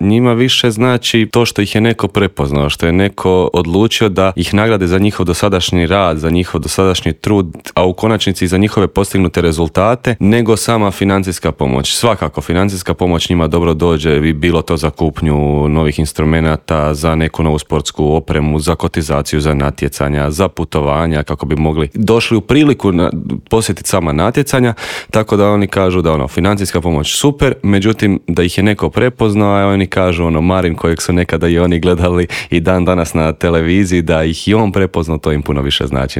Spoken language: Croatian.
njima više znači to što ih je neko prepoznao, što je neko odlučio da ih nagrade za njihov dosadašnji rad, za njihov dosadašnji trud, a u konačnici i za njihove postignute rezultate, nego sama financijska pomoć. Svakako, financijska pomoć njima dobro dođe, bi bilo to za kupnju novih instrumenata, za neku novu sportsku opremu, za kotizaciju, za natjecanja, za putovanja, kako bi mogli došli u priliku posjetiti sama natjecanja, tako da oni kažu da financijska pomoć super, međutim da ih je neko prepoznao, a oni kažu Marin kojeg su nekada i oni gledali i dan danas na televiziji, da ih i on prepoznao, to im puno više znači